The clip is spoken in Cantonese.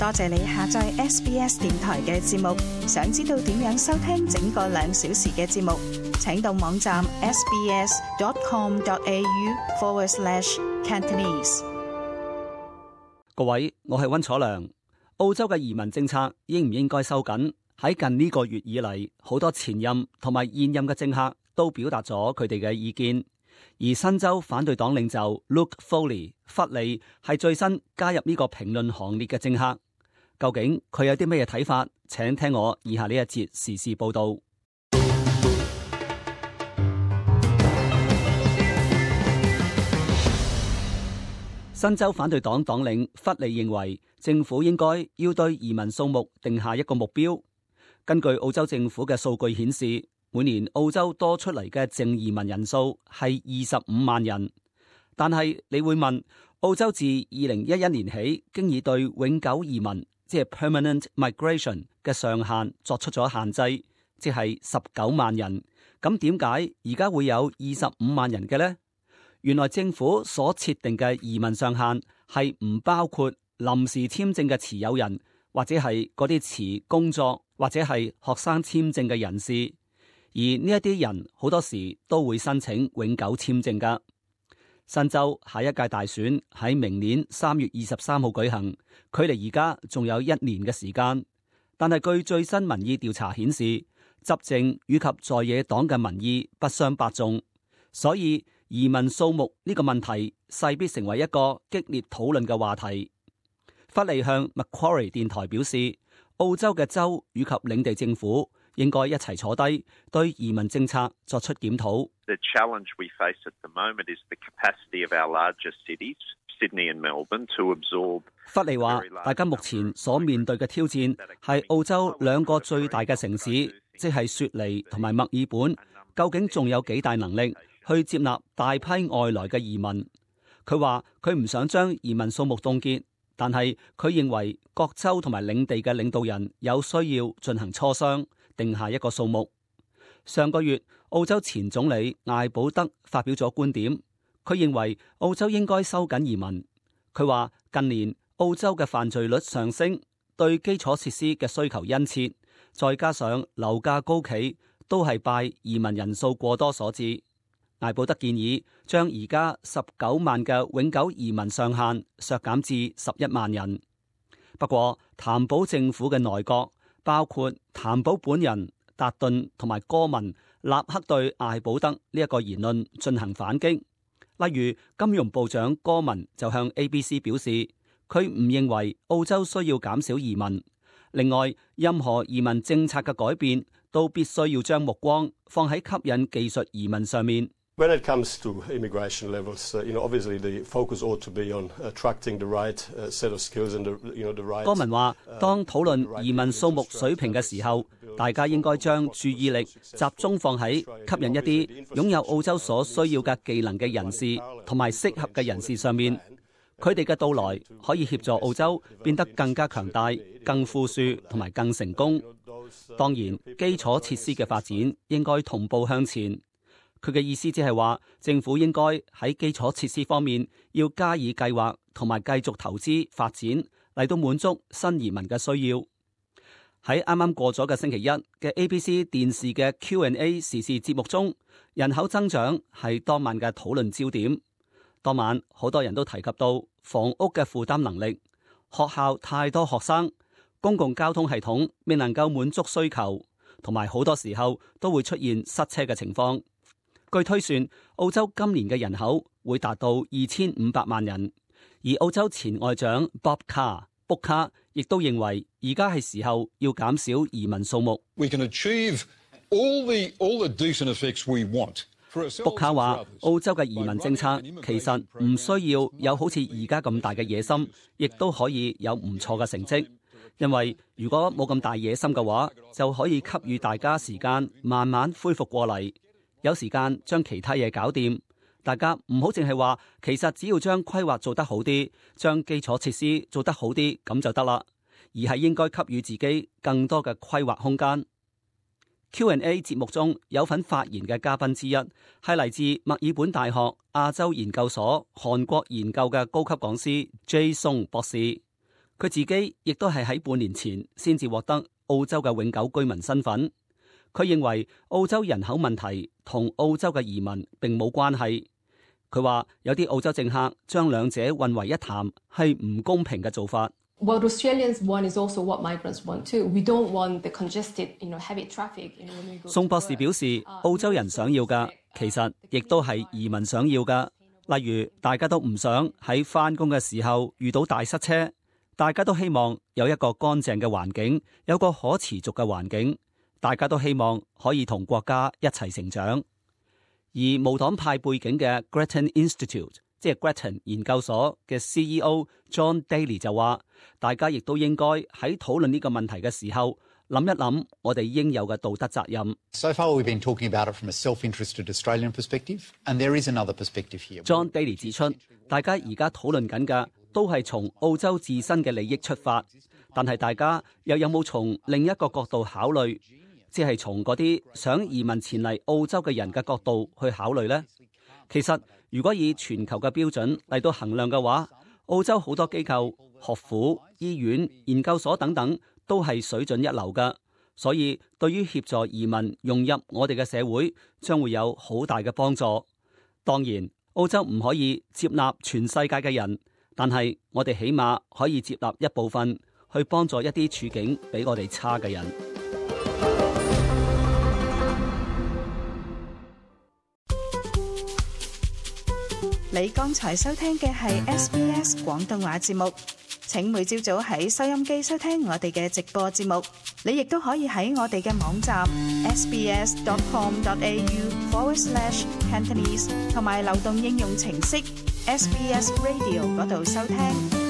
多謝你下載 SBS 電台嘅節目。想知道點樣收聽整個2小時嘅節目，請到網站 sbs.com.au/Cantonese。各位，我係溫楚良。澳洲嘅移民政策應唔應該收緊？喺近呢個月以嚟，好多前任同埋現任嘅政客都表達咗佢哋嘅意見。而新州反對黨領袖 Luke Foley 弗利係最新加入呢個評論行列嘅政客。究竟佢有啲咩睇法？請聽我以下呢一節時事報道。新州反對黨黨領弗利認為，政府應該要對移民數目定下一個目標。根據澳洲政府嘅數據顯示，每年澳洲多出嚟嘅淨移民人數係25萬人。但係你會問，澳洲自2011年起，經已對永久移民，即係 permanent migration 嘅上限作出咗限制，即係19萬人。咁點解而家會有25萬人嘅呢？原來政府所設定嘅移民上限係唔包括臨時簽證嘅持有人，或者係嗰啲持工作或者係學生簽證嘅人士。而呢一啲人好多時都會申請永久簽證㗎。新州下一屆大選喺明年3月23號舉行，距離而家仲有1年嘅時間。但係據最新民意調查顯示，執政與及在野黨嘅民意不相伯仲，所以移民數目呢個問題勢必成為一個激烈討論嘅話題。弗利向 Macquarie 電台表示，澳洲嘅州與及領地政府應該一齊坐低，對移民政策作出檢討。The challenge we face at the moment is the capacity of our larger cities, Sydney and Melbourne, to absorb。弗利話，大家目前所面對嘅挑戰係澳洲2個最大嘅城市，即係雪梨同埋墨爾本，究竟仲有幾大能力去接納大批外來嘅移民？佢話佢唔想將移民數目凍結。但係佢認為各州同埋領地嘅領導人有需要進行磋商，定下一個數目。上個月，澳洲前總理艾保德發表咗觀點，佢認為澳洲應該收緊移民。佢話近年澳洲嘅犯罪率上升，對基礎設施嘅需求殷切，再加上樓價高企，都係拜移民人數過多所致。艾保德建議將而家19萬嘅永久移民上限削減至11萬人。不過，譚寶政府嘅內閣，包括譚寶本人、達頓同埋哥文，立刻對艾保德呢一個言論進行反擊。例如，金融部長哥文就向 ABC 表示，佢唔認為澳洲需要減少移民。另外，任何移民政策嘅改變都必須要將目光放喺吸引技術移民上面。When it comes to immigration levels, obviously the focus ought to be on attracting the right set of skills and the right。哥文話，當討論移民數目水平嘅時候，大家應該將注意力集中放喺吸引一啲擁有澳洲所需要嘅技能嘅人士同埋適合嘅人士上面。佢哋嘅到來可以協助澳洲變得更加強大、更富庶同埋更成功。當然，基礎設施嘅發展應該同步向前。佢嘅意思即係話，政府應該喺基礎設施方面要加以計劃，同埋繼續投資發展，嚟到滿足新移民嘅需要。喺啱啱過咗嘅星期一嘅 ABC 電視嘅 Q&A 時事節目中，人口增長係當晚嘅討論焦點。當晚好多人都提及到房屋嘅負擔能力、學校太多學生、公共交通系統未能夠滿足需求，同埋好多時候都會出現塞車嘅情況。據推算，澳洲今年嘅人口會達到2500萬人，而澳洲前外長 Bob Carr 卜卡亦都認為，而家係時候要減少移民數目。We can achieve all the decent effects we want。卜卡話，澳洲嘅移民政策其實唔需要有好似而家咁大嘅野心，亦都可以有唔錯嘅成績。因為如果冇咁大野心嘅話，就可以給予大家時間慢慢恢復過嚟。有時間將其他嘢搞掂，大家唔好淨係話，其實只要將規劃做得好啲，將基礎設施做得好啲咁就得啦，而係應該給予自己更多嘅規劃空間。Q&A 節目中有份發言嘅嘉賓之一係嚟自墨爾本大學亞洲研究所韓國研究嘅高級講師 Jay Song 博士，佢自己亦都係喺半年前先至獲得澳洲嘅永久居民身份。佢認為澳洲人口問題同澳洲嘅移民並冇關係。佢話有啲澳洲政客將兩者混為一談，係唔公平嘅做法。What Australians want is also what migrants want too. We don't want the congested, heavy traffic. 宋博士表示，澳洲人想要嘅其實亦都係移民想要嘅。例如，大家都唔想喺返工嘅時候遇到大塞車，大家都希望有一個乾淨嘅環境，有個可持續嘅環境，大家都希望可以同國家一齊成長。而無黨派背景嘅 Grattan Institute， 即係 Grattan 研究所嘅 CEO John Daly 就話，大家亦都應該喺討論呢個問題嘅時候，諗一諗我哋應有嘅道德責任。So far we've been talking about it from a self-interested Australian perspective, and there is another perspective here. John Daly 指出，大家而家討論緊嘅都係從澳洲自身嘅利益出發，但係大家又有冇從另一個角度考慮？即係從嗰啲想移民前嚟澳洲嘅人嘅角度去考慮呢？其實如果以全球嘅標準嚟到衡量嘅話，澳洲好多機構、學府、醫院、研究所等等都係水準一流㗎，所以對於協助移民融入我哋嘅社會，將會有好大嘅幫助。當然，澳洲唔可以接納全世界嘅人，但係我哋起碼可以接納一部分，去幫助一啲處境比我哋差嘅人。你剛才收聽嘅係 SBS 廣東話節目，請每朝早喺收音機收聽我哋嘅直播節目。你亦都可以喺我哋嘅網站 sbs.com.au/Cantonese 同埋流動應用程式 SBS Radio 嗰度收聽。